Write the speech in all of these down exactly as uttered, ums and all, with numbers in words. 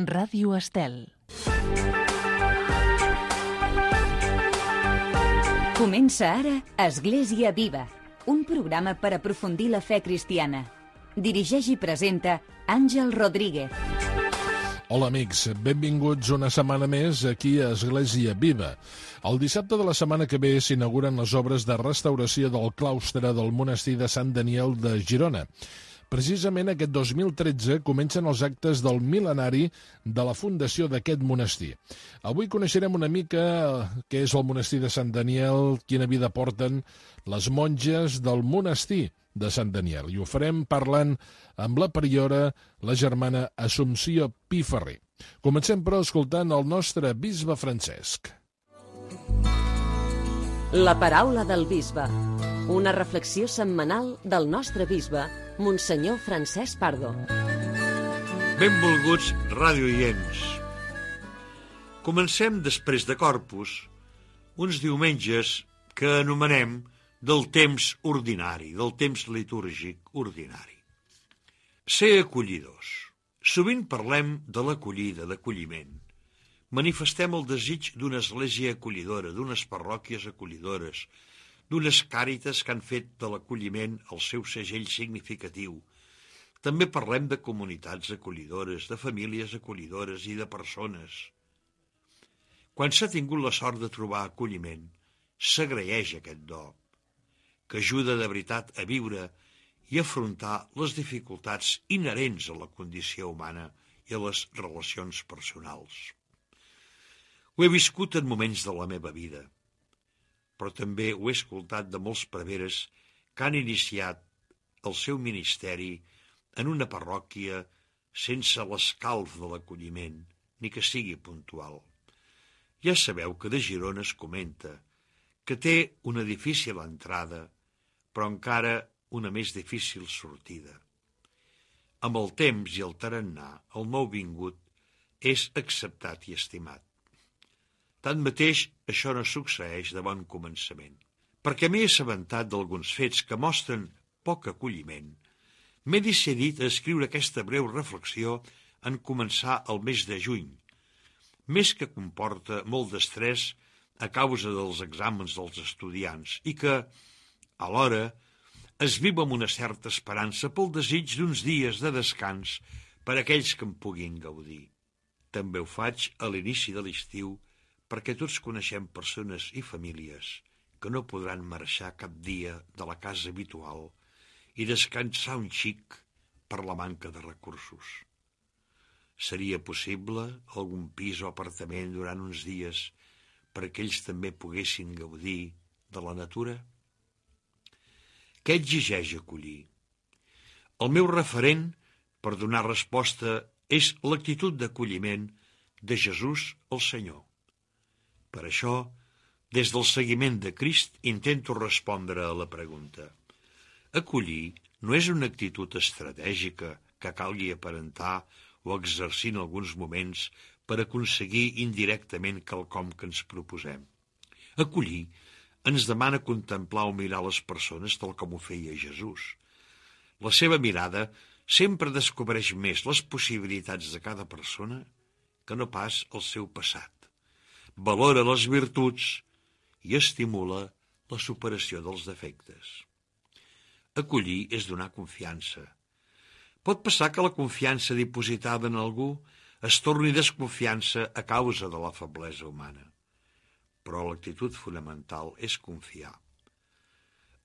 Ràdio Estel. Comença ara Església Viva, un programa per aprofundir la fe cristiana. Dirigeix i presenta Àngel Rodríguez. Hola amics, benvinguts una setmana més aquí a Església Viva. El dissabte de la setmana que ve s'inauguren les obres de restauració del claustre del monestir de Sant Daniel de Girona. Precisament aquest dos mil tretze comencen els actes del mil·lenari de la fundació d'aquest monestir. Avui coneixerem una mica què és el monestir de Sant Daniel, quina vida porten les monges del monestir de Sant Daniel. I ho farem parlant amb la priora, la germana Assumpció Piferrer. Comencem, però, escoltant el nostre bisbe Francesc. La paraula del bisbe. Una reflexió setmanal del nostre bisbe, Monsenyor Francesc Pardo. Benvolguts radioients. Comencem després de Corpus, uns diumenges que anomenem del temps ordinari, del temps litúrgic ordinari. Ser acollidors. Sovint parlem de l'acollida, d'acolliment. Manifestem el desig d'una església acollidora, d'unes parròquies acollidores, d'unes càritas que han fet de l'acolliment el seu segell significatiu. També parlem de comunitats acollidores, de famílies acollidores i de persones. Quan s'ha tingut la sort de trobar acolliment, s'agraeix aquest do, que ajuda de veritat a viure i afrontar les dificultats inherents a la condició humana i a les relacions personals. Ho he viscut en moments de la meva vida, però també ho he escoltat de molts preveres que han iniciat el seu ministeri en una parròquia sense l'escalf de l'acolliment, ni que sigui puntual. Ja sabeu que de Girona es comenta que té una difícil entrada, però encara una més difícil sortida. Amb el temps i el tarannà, el nouvingut és acceptat i estimat. Tanmateix, això no succeeix de bon començament, perquè m'he assabentat d'alguns fets que mostren poc acolliment. M'he decidit a escriure aquesta breu reflexió en començar el mes de juny, mes que comporta molt d'estrès a causa dels exàmens dels estudiants i que, alhora, es viu amb una certa esperança pel desig d'uns dies de descans per a aquells que en puguin gaudir. També ho faig a l'inici de l'estiu, perquè tots coneixem persones i famílies que no podran marxar cap dia de la casa habitual i descansar un xic per la manca de recursos. Seria possible algun pis o apartament durant uns dies perquè ells també poguessin gaudir de la natura? Què exigeix acollir? El meu referent per donar resposta és l'actitud d'acolliment de Jesús el Senyor. Per això, des del seguiment de Crist, intento respondre a la pregunta. Acollir no és una actitud estratègica que calgui aparentar o exercir en alguns moments per aconseguir indirectament quelcom que ens proposem. Acollir ens demana contemplar o mirar les persones tal com ho feia Jesús. La seva mirada sempre descobreix més les possibilitats de cada persona que no pas el seu passat. Valora les virtuts i estimula la superació dels defectes. Acollir és donar confiança. Pot passar que la confiança dipositada en algú es torni desconfiança a causa de la feblesa humana, però l'actitud fonamental és confiar.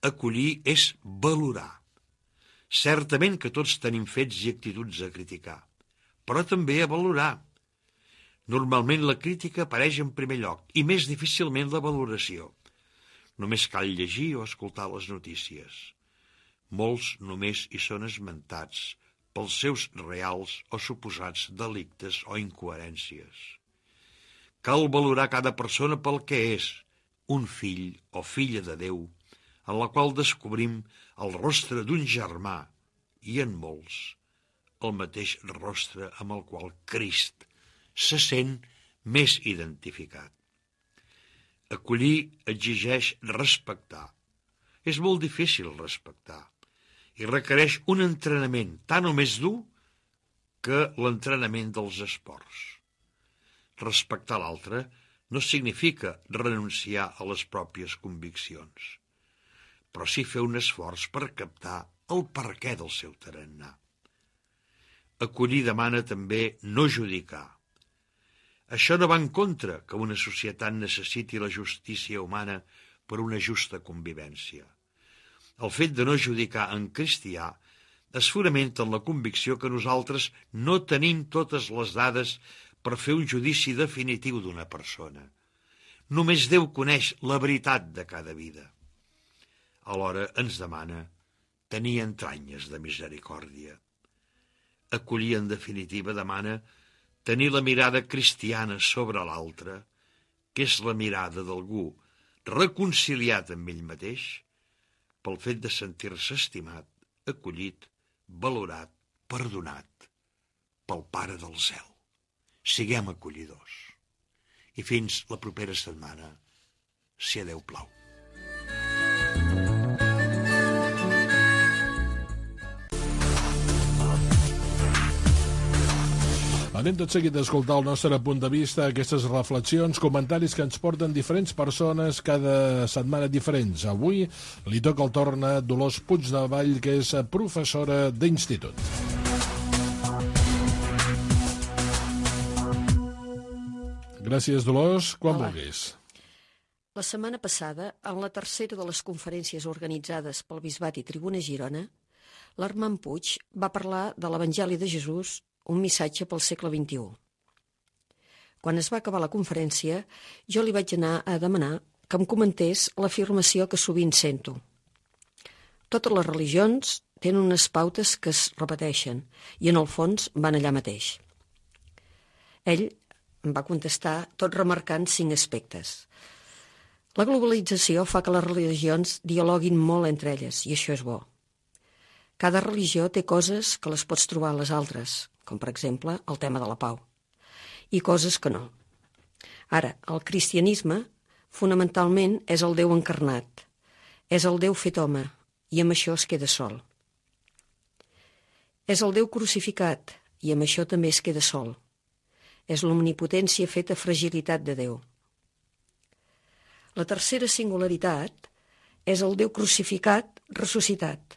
Acollir és valorar. Certament que tots tenim fets i actituds a criticar, però també a valorar. Normalment la crítica apareix en primer lloc i més difícilment la valoració. Només cal llegir o escoltar les notícies. Molts només hi són esmentats pels seus reals o suposats delictes o incoherències. Cal valorar cada persona pel que és, un fill o filla de Déu, en la qual descobrim el rostre d'un germà i en molts el mateix rostre amb el qual Crist se sent més identificat. Acollir exigeix respectar. És molt difícil respectar i requereix un entrenament tant o més dur que l'entrenament dels esports. Respectar l'altre no significa renunciar a les pròpies conviccions, però sí fer un esforç per captar el perquè del seu tarannà. Acollir demana també no judicar. Això no va en contra que una societat necessiti la justícia humana per una justa convivència. El fet de no judicar en cristià es fonamenta en la convicció que nosaltres no tenim totes les dades per fer un judici definitiu d'una persona. Només Déu coneix la veritat de cada vida. Alhora ens demana tenir entranyes de misericòrdia. Acollir, en definitiva, demana tenir la mirada cristiana sobre l'altre, que és la mirada d'algú reconciliat amb ell mateix pel fet de sentir-se estimat, acollit, valorat, perdonat pel Pare del cel. Siguem acollidors. I fins la propera setmana, si a Déu plau. Anem tot seguit a escoltar el nostre punt de vista, aquestes reflexions, comentaris que ens porten diferents persones cada setmana diferents. Avui li toca el torn a Dolors Puigdevall, que és professora d'institut. Gràcies, Dolors. Quan Hola. vulguis. La setmana passada, en la tercera de les conferències organitzades pel Bisbat i Tribuna Girona, l'Armand Puig va parlar de l'Evangeli de Jesús, un missatge pel segle vint-i-u. Quan es va acabar la conferència, jo li vaig anar a demanar que em comentés l'afirmació que sovint sento. Totes les religions tenen unes pautes que es repeteixen i, en el fons, van allà mateix. Ell em va contestar tot remarcant cinc aspectes. La globalització fa que les religions dialoguin molt entre elles, i això és bo. Cada religió té coses que les pots trobar a les altres, com per exemple el tema de la pau, i coses que no. Ara, el cristianisme fonamentalment és el Déu encarnat, és el Déu fet home, i amb això es queda sol. És el Déu crucificat, i amb això també es queda sol. És l'omnipotència feta fragilitat de Déu. La tercera singularitat és el Déu crucificat ressuscitat.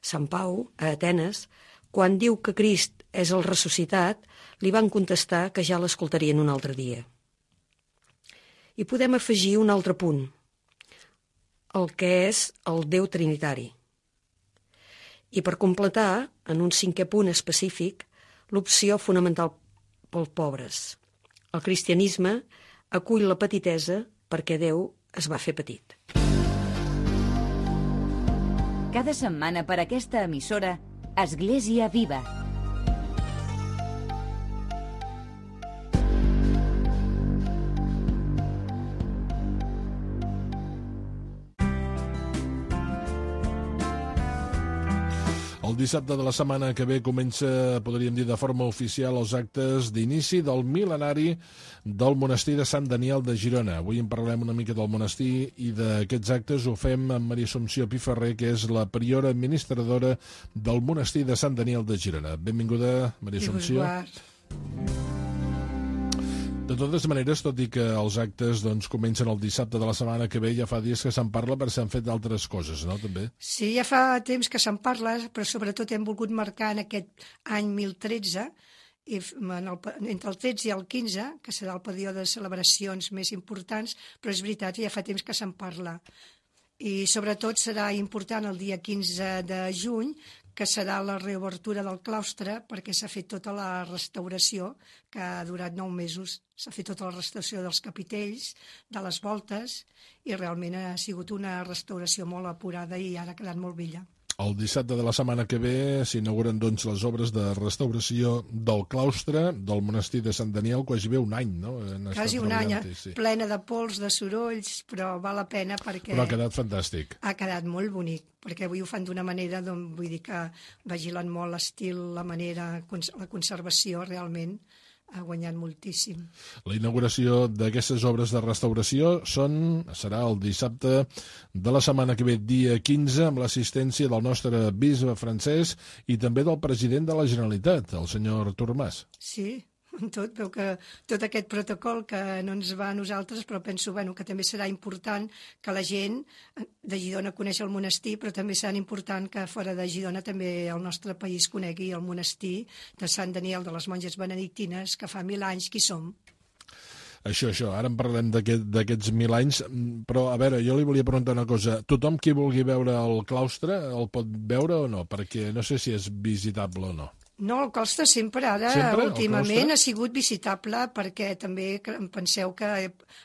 Sant Pau, a Atenes, quan diu que Crist és el ressuscitat, li van contestar que ja l'escoltarien un altre dia. I podem afegir un altre punt, el que és el Déu trinitari. I per completar, en un cinquè punt específic, l'opció fonamental pels pobres. El cristianisme acull la petitesa perquè Déu es va fer petit. Cada setmana per aquesta emissora, Església Viva. El dissabte de la setmana que ve comença, podríem dir de forma oficial, els actes d'inici del mil·lenari del monestir de Sant Daniel de Girona. Avui en parlem una mica del monestir i d'aquests actes ho fem amb Maria Assumpció Piferrer, que és la priora administradora del monestir de Sant Daniel de Girona. Benvinguda, Maria Assumpció. De totes maneres, tot i que els actes doncs, comencen el dissabte de la setmana que ve, ja fa dies que se'n parla perquè s'han fet d'altres coses, no?, també? Sí, ja fa temps que se'n parla, però sobretot hem volgut marcar en aquest any mil tretze, i en el, entre el tretze i el quinze, que serà el període de celebracions més importants, però és veritat, ja fa temps que se'n parla. I sobretot serà important el dia quinze de juny, que serà la reobertura del claustre, perquè s'ha fet tota la restauració, que ha durat nou mesos. S'ha fet tota la restauració dels capitells, de les voltes, i realment ha sigut una restauració molt apurada i ara ha quedat molt bella. El dissabte de la setmana que ve s'inauguren doncs, les obres de restauració del claustre del monestir de Sant Daniel, quasi bé un any, no? Quasi un any, sí. Plena de pols, de sorolls, però val la pena perquè... Però ha quedat fantàstic. Ha quedat molt bonic, perquè avui ho fan d'una manera, doncs, vull dir que vigilen molt l'estil, la manera, la conservació, realment. ha guanyat moltíssim. La inauguració d'aquestes obres de restauració són, serà el dissabte de la setmana que ve, dia quinze, amb l'assistència del nostre bisbe francès i també del president de la Generalitat, el senyor Artur Mas. Sí, tot, veu que tot aquest protocol que no ens va a nosaltres, però penso bueno, que també serà important que la gent de Girona coneixi el monestir, però també serà important que fora de Girona també el nostre país conegui el monestir de Sant Daniel de les monges benedictines, que fa mil anys que hi som. Això, això, ara en parlem d'aquests aquest, mil anys, però a veure, jo li volia preguntar una cosa. Tothom qui vulgui veure el claustre el pot veure o no? Perquè no sé si és visitable o no. No, el claustre sempre, ara, sempre, últimament, ha sigut visitable perquè també penseu que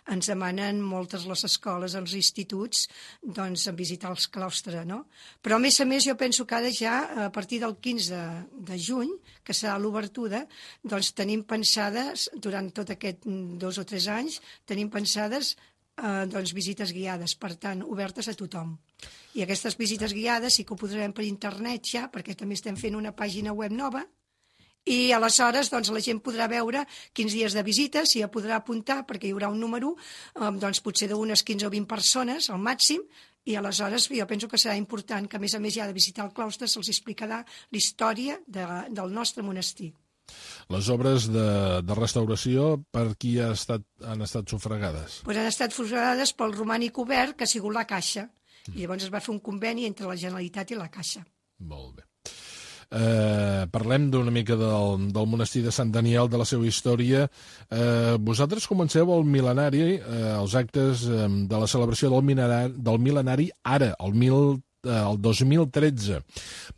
ens demanen moltes les escoles, els instituts, doncs, a visitar els claustres, no? Però, a més a més, jo penso que ara ja, a partir del quinze de juny, que serà l'obertura, doncs tenim pensades, durant tot aquest dos o tres anys, tenim pensades eh, doncs, visites guiades, per tant, obertes a tothom. I aquestes visites guiades sí que ho podrem per internet ja, perquè també estem fent una pàgina web nova, i aleshores doncs, la gent podrà veure quins dies de visita, s'hi podrà apuntar, perquè hi haurà un número, eh, doncs, potser d'unes quinze o vint persones, al màxim, i aleshores jo penso que serà important que, a més a més, ja de visitar el claustre se'ls explicarà la història de, del nostre monestir. Les obres de, de restauració, per qui ha estat, han estat sufragades? Pues han estat sufragades pel romànic obert, que ha sigut la Caixa. I llavors es va fer un conveni entre la Generalitat i la Caixa. Molt bé. Eh, parlem d'una mica del, del monestir de Sant Daniel, de la seva història. Eh, vosaltres comenceu el mil·lenari, eh, els actes eh, de la celebració del mil·lenari, del mil·lenari ara, el mil el dos mil tretze,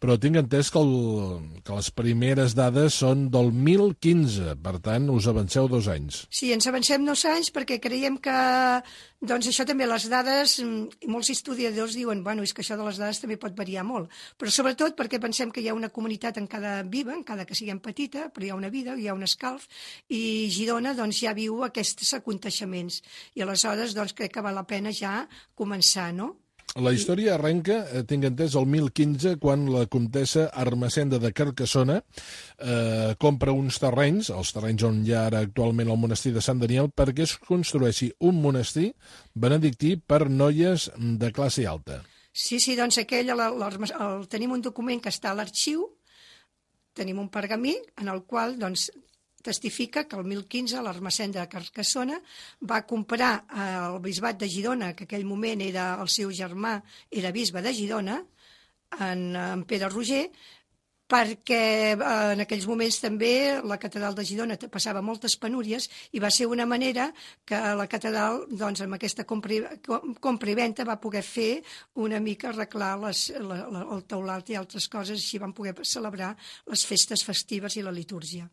però tinc entès que, el, que les primeres dades són del mil quinze, per tant, us avanceu dos anys. Sí, ens avancem dos anys perquè creiem que, doncs això també, les dades, i molts historiadors diuen, bueno, és que això de les dades també pot variar molt, però sobretot perquè pensem que hi ha una comunitat en cada viva, en cada que siguem petita, però hi ha una vida, hi ha un escalf, i Girona, doncs, ja viu aquests aconteixements, i aleshores, doncs, crec que val la pena ja començar, no? La història arrenca, eh, tinc entès, el mil quinze, quan la comtessa Ermessenda de Carcassona eh, compra uns terrenys, els terrenys on hi ha ara actualment el monestir de Sant Daniel, perquè es construeixi un monestir benedictí per noies de classe alta. Sí, sí, doncs aquell, el, el, el, tenim un document que està a l'arxiu, tenim un pergamí en el qual, doncs, testifica que el mil quinze l'Ermessenda de Carcassona va comprar el bisbat de Girona, que en aquell moment era el seu germà, era bisbe de Girona, en, en Pere Roger, perquè en aquells moments també la catedral de Girona passava moltes penúries i va ser una manera que la catedral, doncs, amb aquesta compra, compra i venta va poder fer una mica arreglar les, la, la, el teulat i altres coses, així van poder celebrar les festes festives i la litúrgia.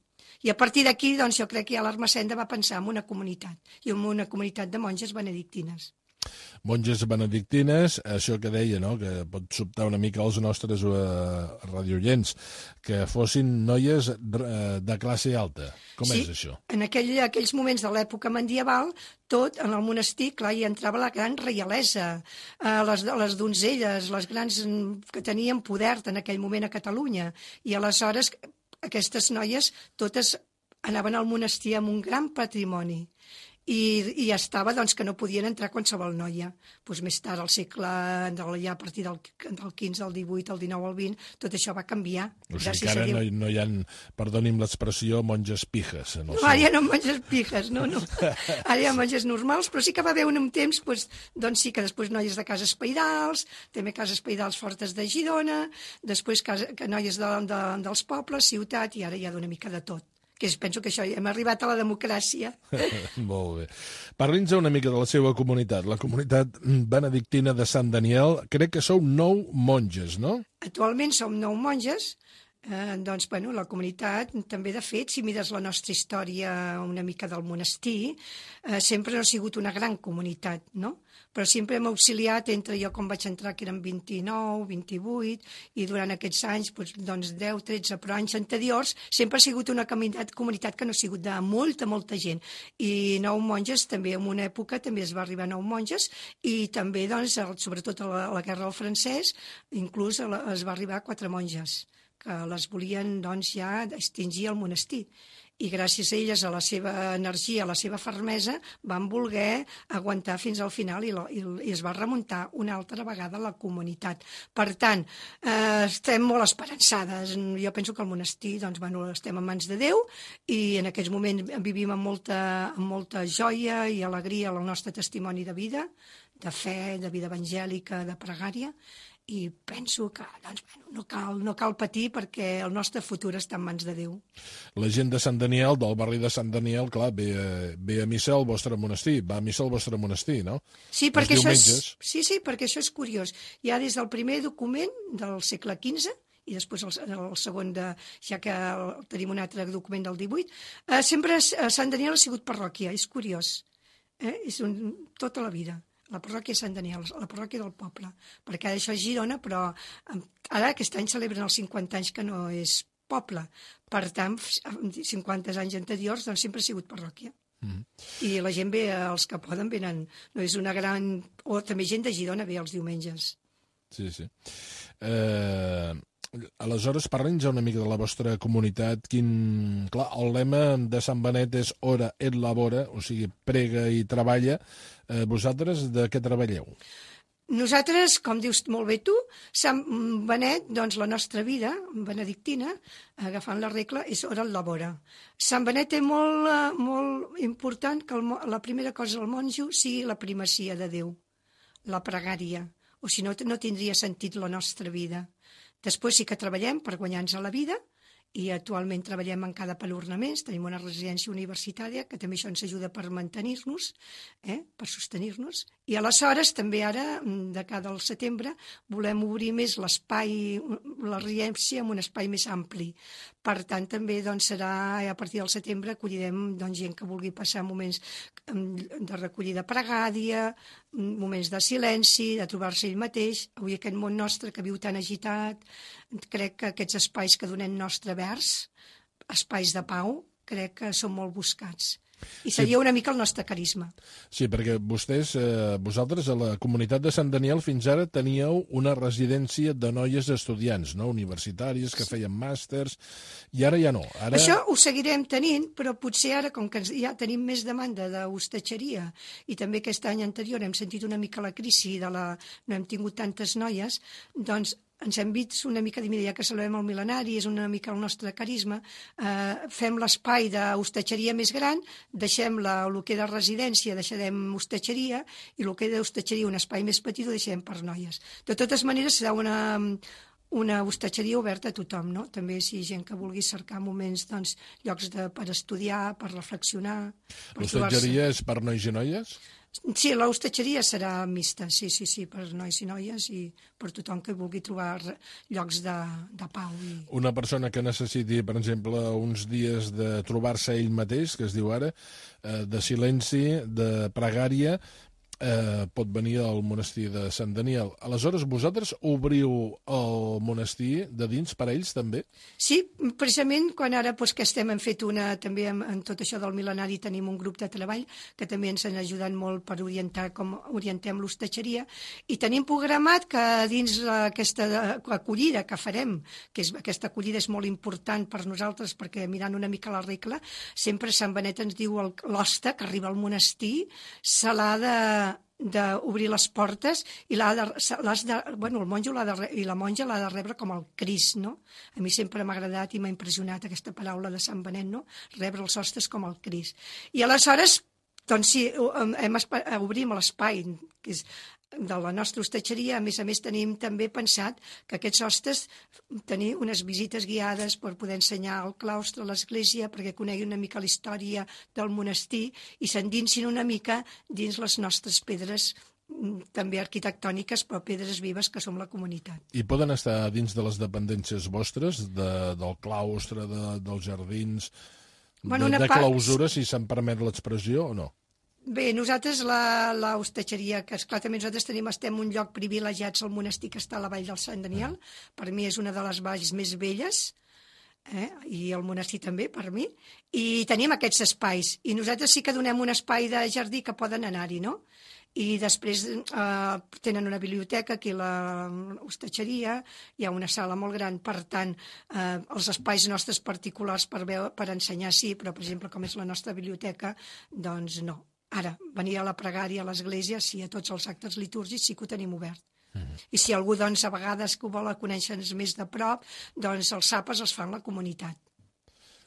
I a partir d'aquí, doncs, jo crec que ja l'Ermessenda va pensar en una comunitat, i en una comunitat de monges benedictines. Monges benedictines, això que deia, no?, que pot sobtar una mica els nostres uh, radioients, que fossin noies uh, de classe alta. Com sí, és això? En aquell, aquells moments de l'època medieval, tot en el monestir, clar, hi entrava la gran reialesa, uh, les, les donzelles, les grans que tenien poder en aquell moment a Catalunya, i aleshores aquestes noies totes anaven al monestir amb un gran patrimoni i, i estava doncs, que no podien entrar qualsevol noia. Pues més tard, al segle, ja a partir del, del quinze, del divuit, el dinou, el vint, tot això va canviar. O sigui que ara no, no hi ha, perdoni'm l'expressió, monges pijes. En el no, ara ja no monges pijes, no, no. Ara hi ha monges normals, però sí que va haver un temps, doncs, doncs sí que després noies de cases pairals, també cases pairals fortes de Girona, després casa, que noies de, de, dels pobles, ciutat, i ara hi ha d'una mica de tot. Que és, penso que això, hem arribat a la democràcia. Molt bé. Parli'ns una mica de la seva comunitat, la comunitat benedictina de Sant Daniel. Crec que sou nou monges, no? Actualment som nou monges. Eh, doncs, bueno, la comunitat, també, de fet, si mires la nostra història una mica del monestir, eh, sempre no ha sigut una gran comunitat, no? Però sempre hem auxiliat entre jo, com vaig entrar, que eren vint-i-nou, vint-i-vuit, i durant aquests anys, doncs, deu, tretze, però anys anteriors, sempre ha sigut una comunitat, comunitat que no ha sigut de molta, molta gent. I nou monges, també, en una època, també es va arribar a nou monges, i també, doncs, sobretot a la, a la Guerra del Francès, inclús es va arribar a quatre monges, que les volien doncs, ja extingir el monestir. I gràcies a elles, a la seva energia, a la seva fermesa, van voler aguantar fins al final i, lo, i, i es va remuntar una altra vegada la comunitat. Per tant, eh, estem molt esperançades. Jo penso que el monestir, doncs, bueno, estem en mans de Déu i en aquests moments vivim amb molta, amb molta joia i alegria el nostre testimoni de vida, de fe, de vida evangèlica, de pregària, i penso que doncs, bueno, no, cal, no cal patir perquè el nostre futur està en mans de Déu. La gent de Sant Daniel, del barri de Sant Daniel, clar, ve, ve a missa al vostre monestir, va a missa al vostre monestir, no? Sí, perquè això és, sí, sí, perquè això és curiós. Ja des del primer document del segle quinze, i després el, el segon, de, ja que el, tenim un altre document del divuit, eh, sempre a Sant Daniel ha sigut parròquia, és curiós. Eh? És un, tota la vida. La parròquia de Sant Daniel, la parròquia del poble, perquè ara això és Girona, però ara aquest any celebren els cinquanta anys que no és poble. Per tant, cinquanta anys anteriors doncs sempre ha sigut parròquia. Mm. I la gent ve, els que poden venen, no és una gran... O també gent de Girona ve els diumenges. Sí, sí. Eh... Aleshores, parlem ja una mica de la vostra comunitat. Quin... Clar, el lema de Sant Benet és Ora et labora, o sigui, prega i treballa. Eh, vosaltres de què treballeu? Nosaltres, com dius molt bé tu, Sant Benet, doncs la nostra vida benedictina, agafant la regla, és Ora et labora. Sant Benet és molt, molt important que el, la primera cosa del monjo sigui la primacia de Déu, la pregària, o si no, no tindria sentit la nostra vida. Després sí que treballem per guanyar-nos la vida i actualment treballem en cada palornaments, tenim una residència universitària que també això ens ajuda per mantenir-nos, eh, per sostenir-nos. I aleshores també ara, de cada al setembre, volem obrir més l'espai, la residència en un espai més ampli. Per tant, també doncs, serà a partir del setembre acollirem doncs, gent que vulgui passar moments de recollida pregària, moments de silenci, de trobar-se ell mateix. Avui aquest món nostre que viu tan agitat, crec que aquests espais que donem nostre vers, espais de pau, crec que són molt buscats. I seria sí. una mica el nostre carisma. Sí, perquè vostès, eh, vosaltres, a la comunitat de Sant Daniel, fins ara teníeu una residència de noies estudiants, no? Universitàries, que feien màsters, i ara ja no. Ara... Això ho seguirem tenint, però potser ara, com que ja tenim més demanda d'hostatgeria, i també aquest any anterior hem sentit una mica la crisi, de la... no hem tingut tantes noies, doncs ens hem vist una mica, ja que celebrem el mil·lenari, és una mica el nostre carisma, eh, fem l'espai d'hostatgeria més gran, deixem la, el que de residència, deixarem hostatgeria, i el que d'hostatgeria, un espai més petit, ho deixem per noies. De totes maneres, serà una, una hostatgeria oberta a tothom, no? També si gent que vulgui cercar moments, doncs, llocs de, per estudiar, per reflexionar... L'hostatgeria és per nois i noies? Sí, l'hostatgeria serà mixta, sí, sí, sí, per nois i noies i per tothom que vulgui trobar llocs de, de pau. I... Una persona que necessiti, per exemple, uns dies de trobar-se ell mateix, que es diu ara, de silenci, de pregària, eh, pot venir al monestir de Sant Daniel. Aleshores, vosaltres obriu el monestir de dins per a ells, també? Sí, precisament quan ara doncs, que estem hem fet una, també en, en tot això del mil·lenari tenim un grup de treball que també ens han ajudat molt per orientar com orientem l'hostatgeria i tenim programat que dins aquesta acollida que farem, que és, aquesta acollida és molt important per nosaltres perquè mirant una mica la regla, sempre Sant Benet ens diu l'hoste que arriba al monestir se l'ha de d'obrir les portes i l'ha de, de, bueno, el monjo l'ha de, i la monja l'ha de rebre com el Crist, no? A mi sempre m'ha agradat i m'ha impressionat aquesta paraula de Sant Benet, no? Rebre els hostes com el Crist. I aleshores, doncs sí, hem, obrim l'espai, que és de la nostra hostatgeria. A més a més tenim també pensat que aquests hostes tenir unes visites guiades per poder ensenyar al claustre, a l'església, perquè coneguin una mica la història del monestir i s'endinsin una mica dins les nostres pedres també arquitectòniques, però pedres vives que som la comunitat. I poden estar dins de les dependències vostres, de, del claustre, de, dels jardins, bueno, de, de clausura, si se'n permet l'expressió, o no? Bé, nosaltres, la, la hostatgeria, que esclar, també nosaltres tenim, estem en un lloc privilegiats al monestir que està a la vall del Sant Daniel. Per mi és una de les valls més belles, eh? I el monestir també, per mi. I tenim aquests espais. I nosaltres sí que donem un espai de jardí que poden anar-hi, no? I després eh, tenen una biblioteca aquí a l'hostatgeria, hi ha una sala molt gran, per tant, eh, els espais nostres particulars per, veure, per ensenyar sí, però, per exemple, com és la nostra biblioteca, doncs no. Ara, venir a la pregària a l'església, sí, a tots els actes litúrgics sí que ho tenim obert. Mm-hmm. I si algú, doncs, a vegades que ho vol conèixer més de prop, doncs els àpats els fan la comunitat.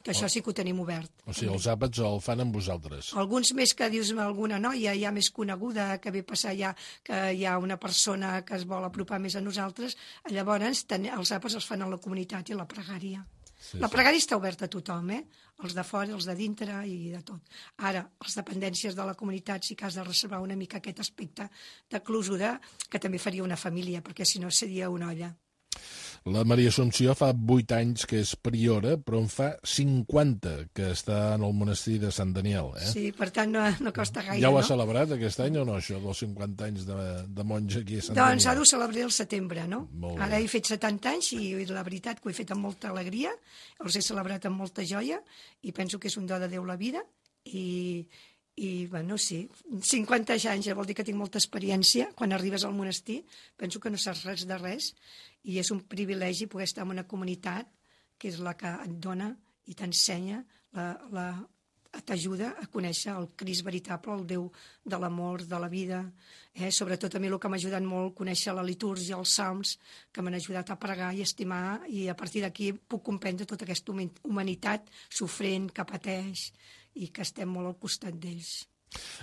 Que això sí que ho tenim obert. O sigui, els àpats el fan amb vosaltres. Alguns més que dius alguna noia ja més coneguda, que ve passar ja que hi ha una persona que es vol apropar més a nosaltres, llavors ten, els àpats els fan a la comunitat i a la pregària. Sí, la pregària sí. Està oberta a tothom, eh? Els de fora, els de dintre i de tot. Ara, les dependències de la comunitat sí que has de reservar una mica aquest aspecte de closura, que també faria una família, perquè si no seria una olla. La Maria Assumpció fa vuit anys que és priora, però en fa cinquanta que està en el monestir de Sant Daniel. Eh? Sí, per tant no, no costa gaire, ja ho ha no? celebrat aquest any o no, això, dels cinquanta anys de, de monja aquí a Sant doncs Daniel? Doncs ha de celebrar el setembre, no? Ara he fet setanta anys i la veritat que ho he fet amb molta alegria, els he celebrat amb molta joia i penso que és un do de Déu la vida i... I, bueno, sí, cinquanta anys vol dir que tinc molta experiència. Quan arribes al monestir penso que no saps res de res i és un privilegi poder estar en una comunitat que és la que et dona i t'ensenya, la, la, t'ajuda a conèixer el Crist veritable, el Déu de l'amor, de la vida. Eh? Sobretot a mi el que m'ha ajudat molt conèixer la litúrgia, els salms, que m'han ajudat a pregar i estimar, i a partir d'aquí puc comprendre tota aquesta humanitat sofrent que pateix i que estem molt al costat d'ells.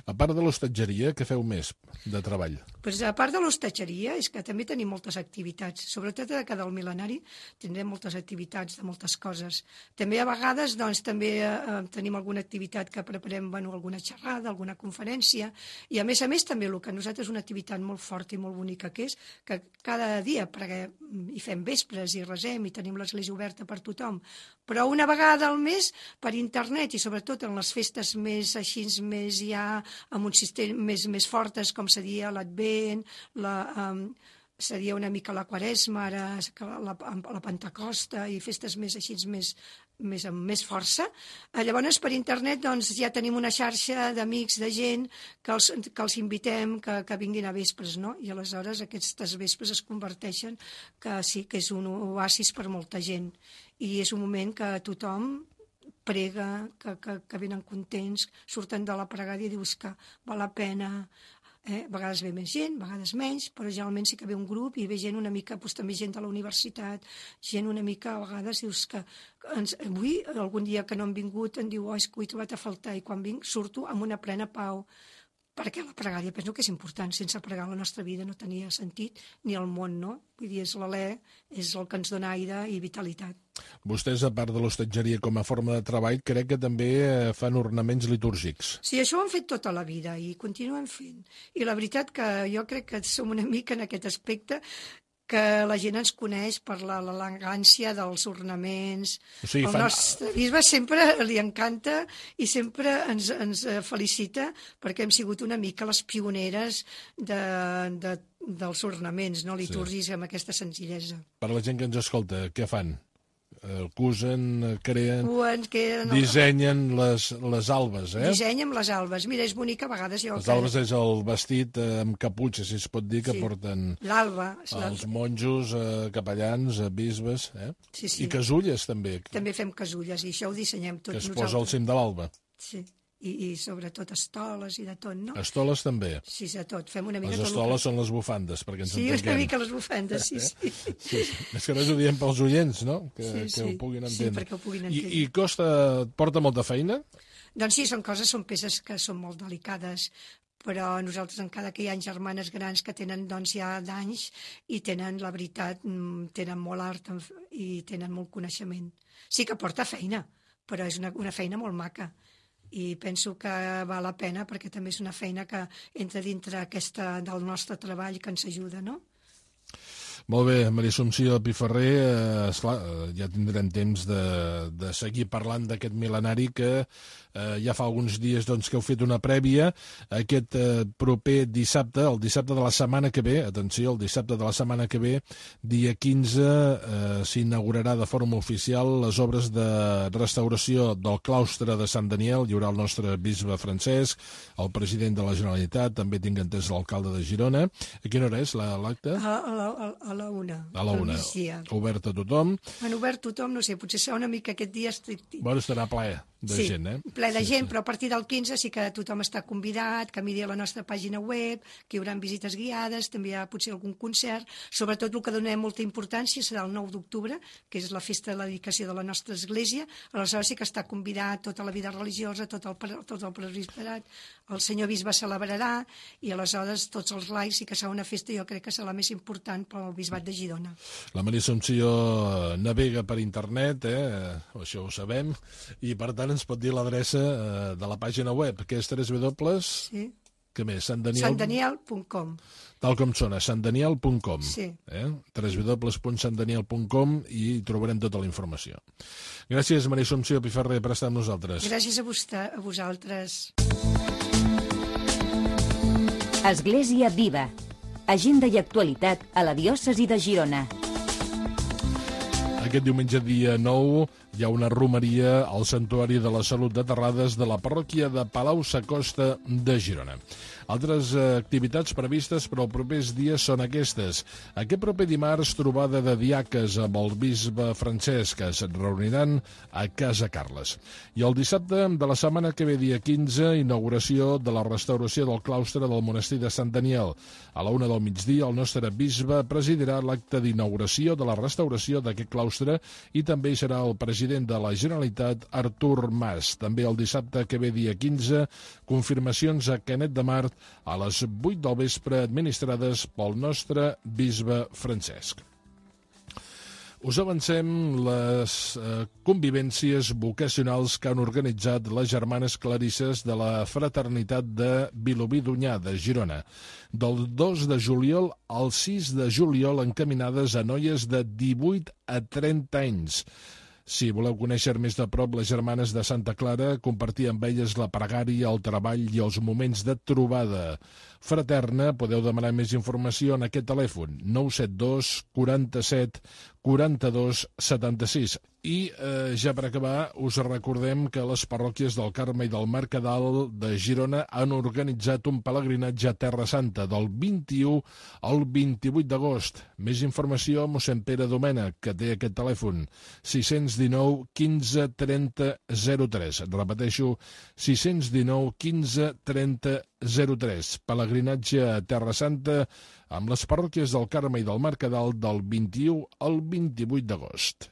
A part de l'hostatgeria, què feu més de treball? Pues a part de l'hostatgeria és que també tenim moltes activitats, sobretot a cada mil·lenari tindrem moltes activitats de moltes coses. També a vegades doncs, també eh, tenim alguna activitat que preparem, bueno, alguna xerrada, alguna conferència, i a més a més també el que a nosaltres és una activitat molt forta i molt bonica que és que cada dia preguem, hi fem vespres i resem i tenim l'església oberta per tothom, però una vegada al mes per internet i sobretot en les festes més així més ja amb un sistema més, més fortes com seria l'Advent, la, um, seria una mica la Quaresma, ara la, la Pentecosta i festes més així més, més amb més força. Llavors per internet doncs, ja tenim una xarxa d'amics, de gent que els, que els invitem que, que vinguin a vespres, no? I aleshores aquestes vespres es converteixen que sí, que és un oasis per molta gent i és un moment que tothom prega, que, que, que venen contents, surten de la pregària i dius que val la pena. Eh? A vegades ve més gent, a vegades menys, però generalment sí que ve un grup i ve gent una mica, doncs, també gent de la universitat, gent una mica, a vegades dius que ens, avui, algun dia que no han vingut, em diu, oh, és que ho he trobat a faltar, i quan vinc surto amb una plena pau, perquè la pregària penso que és important, sense pregar la nostra vida no tenia sentit, ni el món, no? Vull dir, és l'alè, és el que ens dona aire i vitalitat. Vostès, a part de l'hostatgeria com a forma de treball, crec que també fan ornaments litúrgics. Sí, això ho hem fet tota la vida i continuem fent. I la veritat que jo crec que som una mica en aquest aspecte que la gent ens coneix per l'elegància dels ornaments. O sigui, el fan... nostre bisbe sempre li encanta i sempre ens, ens felicita perquè hem sigut una mica les pioneres de, de, dels ornaments no litúrgics, sí, amb aquesta senzillesa. Per la gent que ens escolta, què fan? Cusen, creen, Cuen, creen dissenyen les, les albes, eh? Dissenyen les albes. Mira, és bonic a vegades. Jo les albes és el vestit amb caputxa, si es pot dir, que sí, porten l'alba, els monjos, eh, capellans, eh, bisbes, eh? Sí, sí. I casulles, també. També fem casulles, i això ho dissenyem tot nosaltres. Que es nosaltres. posa al cim de l'alba. Sí. I, i sobretot estoles i de tot, no? Estoles també? Sí, de tot. Fem una mica les estoles són les bufandes, perquè ens sí, entenguem. Sí, una mica les bufandes, sí, sí. sí, sí. És que res ho diem pels oients, no? Que, sí, sí. que ho puguin entendre. Sí, perquè ho puguin entendre. I, i costa, porta molta feina? Doncs sí, són coses, són peces que són molt delicades, però nosaltres encara que hi ha germanes grans que tenen doncs ja d'anys i tenen, la veritat, tenen molt art i tenen molt coneixement. Sí que porta feina, però és una, una feina molt maca. I penso que val la pena perquè també és una feina que entra dintre aquesta del nostre treball que ens ajuda, no? Molt bé, Maria Assumpció Piferrer, eh, esclar, ja tindrem temps de, de seguir parlant d'aquest mil·lenari que eh, ja fa alguns dies doncs, que heu fet una prèvia. Aquest eh, proper dissabte, el dissabte de la setmana que ve, atenció, el dissabte de la setmana que ve, dia quinze, eh, s'inaugurarà de forma oficial les obres de restauració del claustre de Sant Daniel. Hi haurà el nostre bisbe Francesc, el president de la Generalitat, també tinc entès l'alcalde de Girona. A quina hora és l'acte? A, a, la, a la una. A la una. Obert a tothom. Han obert tothom, no sé, potser serà una mica aquest dia estricte. Bueno, estarà ple de sí, gent, eh? ple de sí, gent, sí. Però a partir del quinze sí que tothom està convidat, que miri a la nostra pàgina web, que hi haurà visites guiades, també hi ha potser algun concert. Sobretot el que donem molta importància serà el nou d'octubre, que és la festa de la dedicació de la nostra església. Aleshores sí que està convidat tota la vida religiosa, tot el, tot el presbiterat, el senyor bisbe celebrarà, i aleshores tots els laics sí que serà una festa, jo crec que serà la més important pel bisbat de Girona. La Maria Assumpció navega per internet, eh? Això ho sabem, i per tant ens pot dir l'adreça eh, de la pàgina web, que és tres dobles... Sí. Què més? Sant Daniel... sant daniel punt com. Tal com sona, sant daniel punt com. Sí. Eh? w w w punt sant daniel punt com i hi trobarem tota la informació. Gràcies, Maria Assumpció Piferrer, per estar amb nosaltres. Gràcies a, vostè, a vosaltres. Església Viva. Agenda i actualitat a la diòcesi de Girona. Aquest diumenge, dia nou, hi ha una romeria al Santuari de la Salut de Terrades de la parròquia de Palau-sacosta de Girona. Altres activitats previstes per als propers dies són aquestes. Aquest proper dimarts, trobada de diaques amb el bisbe Francesc, que es reuniran a Casa Carles. I el dissabte de la setmana que ve, dia quinze, inauguració de la restauració del claustre del monestir de Sant Daniel. A la una del migdia, el nostre bisbe presidirà l'acte d'inauguració de la restauració d'aquest claustre i també hi serà el president de la Generalitat, Artur Mas. També el dissabte que ve, dia quinze, confirmacions a Canet de Mar a les vuit del vespre, administrades pel nostre bisbe Francesc. Us avancem les eh, convivències vocacionals que han organitzat les germanes clarisses de la Fraternitat de Vilobí d'Onyar, de Girona. Del dos de juliol al sis de juliol, encaminades a noies de divuit a trenta anys. Si voleu conèixer més de prop les germanes de Santa Clara, compartir amb elles la pregària, el treball i els moments de trobada fraterna, podeu demanar més informació en aquest telèfon, nou set dos quaranta-set quaranta-dos setanta-sis. I eh, ja per acabar, us recordem que les parròquies del Carme i del Mercadal de Girona han organitzat un pelegrinatge a Terra Santa del vint-i-u al vint-i-vuit d'agost. Més informació a mossèn Pere Domènech, que té aquest telèfon, sis cents dinou quinze trenta zero tres. Repeteixo, sis cents dinou quinze trenta zero tres. Pelegrinatge a Terra Santa amb les parròquies del Carme i del Mercadal del vint-i-u al vint-i-vuit d'agost.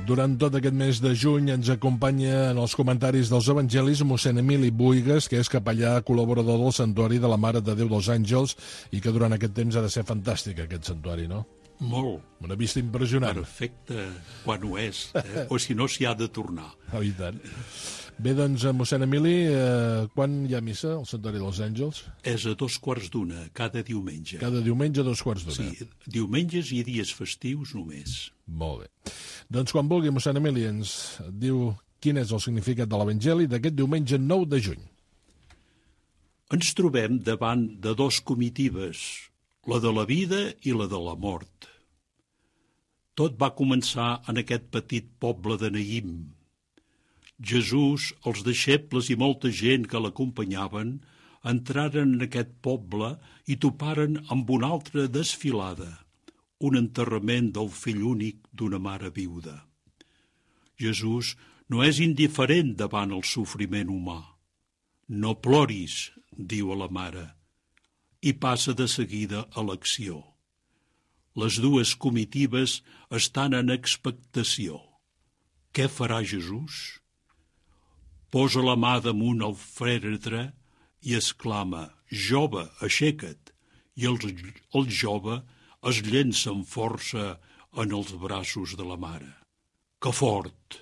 Durant tot aquest mes de juny ens acompanya en els comentaris dels evangelis mossèn Emili Buigas, que és capellà col·laborador del Santuari de la Mare de Déu dels Àngels i que durant aquest temps ha de ser fantàstic, aquest santuari, no? Molt. Una vista impressionant. Perfecte, quan ho és, eh? O si no s'hi ha de tornar. Oh, i tant. Bé, doncs, mossèn Emili, eh, quan hi ha missa al Santuari dels Àngels? És a dos quarts d'una, cada diumenge. Cada diumenge a dos quarts d'una. Sí, diumenges i dies festius només. Molt bé. Doncs quan vulgui, mossèn Emili, ens diu quin és el significat de l'Evangeli d'aquest diumenge nou de juny. Ens trobem davant de dos comitibes, la de la vida i la de la mort. Tot va començar en aquest petit poble de Naïm. Jesús, els deixebles i molta gent que l'acompanyaven entraren en aquest poble i toparen amb una altra desfilada, un enterrament del fill únic d'una mare viuda. Jesús no és indiferent davant el sofriment humà. No ploris, diu a la mare, i passa de seguida a l'acció. Les dues comitibes estan en expectació. Què farà Jesús? Posa la mà damunt el fèretre i exclama, «Jove, aixeca't!» I el, el jove es llença amb força en els braços de la mare. Que fort!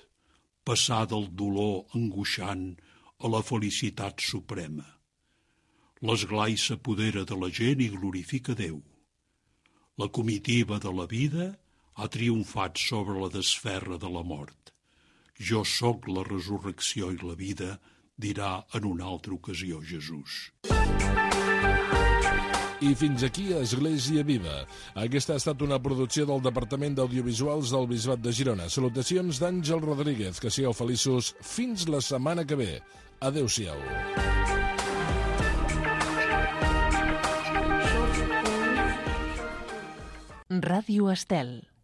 Passar del dolor angoixant a la felicitat suprema. L'esglai s'apodera de la gent i glorifica Déu. La comitiva de la vida ha triomfat sobre la desferra de la mort. Jo sóc la resurrecció i la vida, dirà en una altra ocasió Jesús. I fins aquí Església Viva. Aquesta ha estat una producció del Departament d'Audiovisuals del Bisbat de Girona. Salutacions d'Àngel Rodríguez. Que sigueu feliços fins la setmana que ve. Adéu-siau. Ràdio Estel.